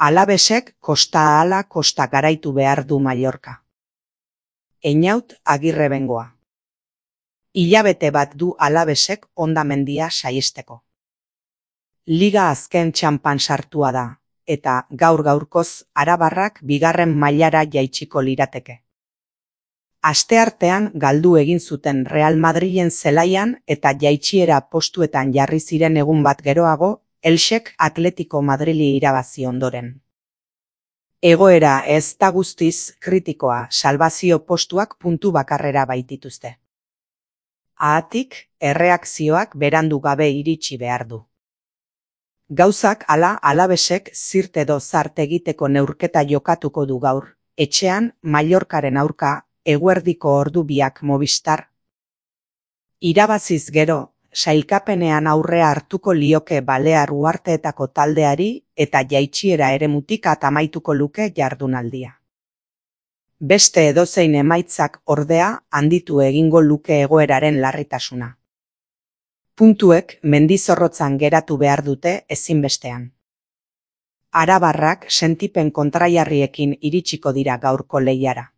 Alabesek kosta ahala kosta garaitu behar du Mallorca. Einaut Agirrebengoa. Hilabete bat du Alabesek hondamendia saihesteko. Liga azken txanpan sartua da, eta gaur-gaurkoz arabarrak bigarren mailara jaitsiko lirateke. Asteartean galdu egin zuten Real Madrilen zelaian eta jaitsiera postuetan jarri ziren egun bat geroago, Elxek Atletico Madrili irabazi ondoren. Egoera ez da guztiz kritikoa, salbazio postuak puntu bakarrera baitituzte. Haatik, erreakzioak berandu gabe iritsi behar du. Gauzak hala Alabesek zirt edo zart egiteko neurketa jokatuko du gaur, etxean Mallorcaren aurka eguerdiko ordu biak Movistar. Irabaziz gero, sailkapenean aurrea hartuko lioke Balear uharteetako taldeari eta jaitsiera eremutik amaituko luke jardunaldia. Beste edozein emaitzak ordea handitu egingo luke egoeraren larritasuna. Puntuek mendizorrotzan geratu behar dute ezinbestean. Arabarrak sentipen kontraiarriekin iritsiko dira gaurko lehiara.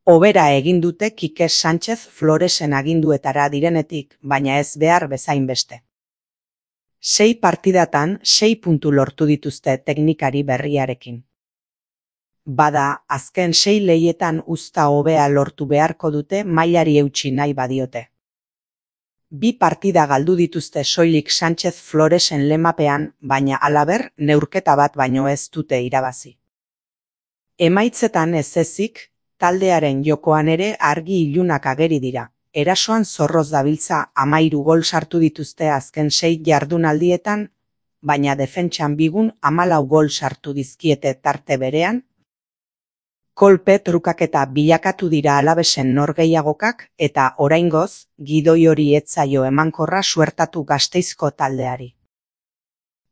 Hobera egin dute Kike Sánchez Floresen aginduetara direnetik, baina ez behar bezain beste. 6 partidatan 6 puntu lortu dituzte teknikari berriarekin. Bada, azken 6 lehietan uzta hobea lortu beharko dute mailari eutsi nahi badiote. 2 partida galdu dituzte soilik Sánchez Floresen lemapean, baina halaber neurketa bat baino ez dute irabazi. Emaitzetan ez ezik, taldearen jokoan ere argi ilunak ageri dira. Erasoan zorroz dabiltza 13 gol sartu dituzte azken 6 jardunaldietan, baina defentsan bigun 14 gol sartu dizkiete tarte berean. Kolpe trukaketa bilakatu dira Alabesen norgehiagokak eta oraingoz gidoi hori ez zaio emankorra suertatu Gasteizko taldeari.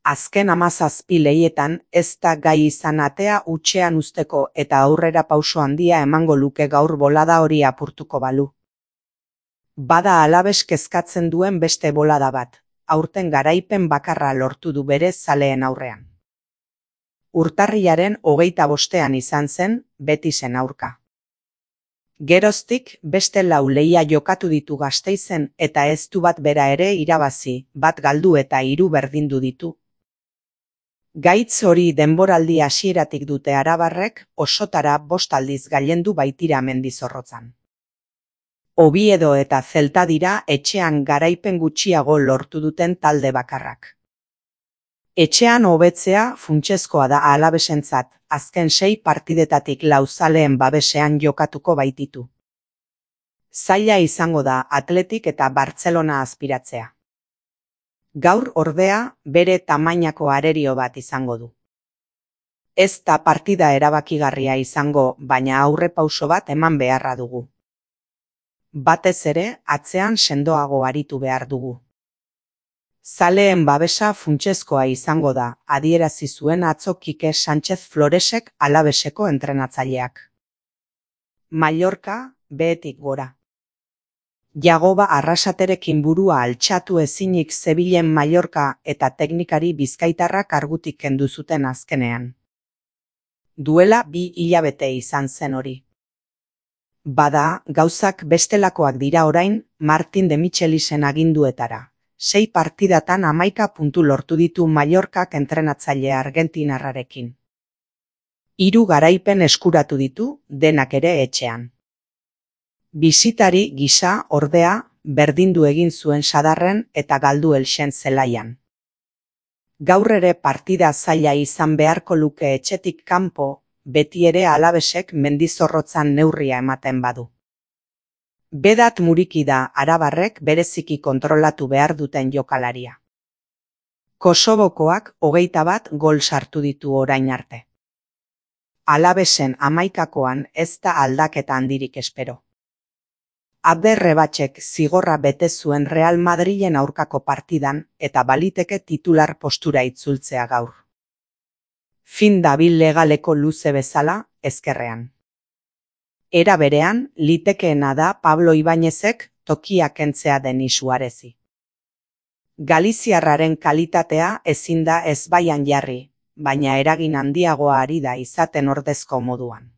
Azken 17 lehietan ez da gai izan atea hutsean uzteko eta aurrera pauso handia emango luke gaur bolada hori apurtuko balu. Bada Alabes kezkatzen duen beste bolada bat, aurten garaipen bakarra lortu du bere zaleen aurrean. Urtarrilaren 25ean izan zen Betisen aurka. Geroztik beste 4 lehia jokatu ditu Gasteizen eta ez du bat bera ere irabazi, bat galdu eta 3 berdindu ditu. Gaitz hori denboraldi hasieratik dute arabarrek, osotara 5 aldiz gailendu baitira Mendizorrotzan. Oviedo eta Celta dira etxean garaipen gutxiago lortu duten talde bakarrak. Etxean hobetzea funtsezkoa da Alabesentzat, azken 6 partidetatik 4 zaleen babesean jokatuko baititu. Zaila izango da Atletik eta Bartzelona azpiratzea. Gaur ordea bere tamainako arerio bat izango du. Ez da partida erabakigarria izango, baina aurrepauso bat eman beharra dugu. Batez ere, atzean sendoago aritu behar dugu. Zaleen babesa funtsezkoa izango da, adierazi zuen atzo Kike Sánchez Floresek Alabeseko entrenatzaileak. Mallorca, behetik gora. Jagoba Arrasaterekin burua altxatu ezinik zebilen Mallorca eta teknikari bizkaitarrak kargutik kendu zuten azkenean. Duela 2 hilabete izan zen hori. Bada, gauzak bestelakoak dira orain Martin de Michelisen aginduetara. 6 partidatan 11 puntu lortu ditu Mallorcak entrenatzaile argentinarrarekin. 3 garaipen eskuratu ditu, denak ere etxean. Bisitari gisa ordea berdindu egin zuen Sadarren eta galdu Elxen zelaian. Gaur ere partida zaila izan beharko luke etxetik kanpo, beti ere Alabesek Mendizorrotzan neurria ematen badu. Bedat muriki da arabarrek bereziki kontrolatu behar duten jokalaria. Kosovokoak 21 gol sartu ditu orain arte. Alabesen 11koan ez da aldaketa handirik espero. Abderrebatxek zigorra bete zuen Real Madrilen aurkako partidan eta baliteke titular postura itzultzea gaur. Fin dabil legaleko luze bezala, ezkerrean. Era berean, litekeena da Pablo Ibañezek tokia kentzea Denis Suarezi. Galiziarraren kalitatea ezin da ezbaian jarri, baina eragin handiagoa ari da izaten ordezko moduan.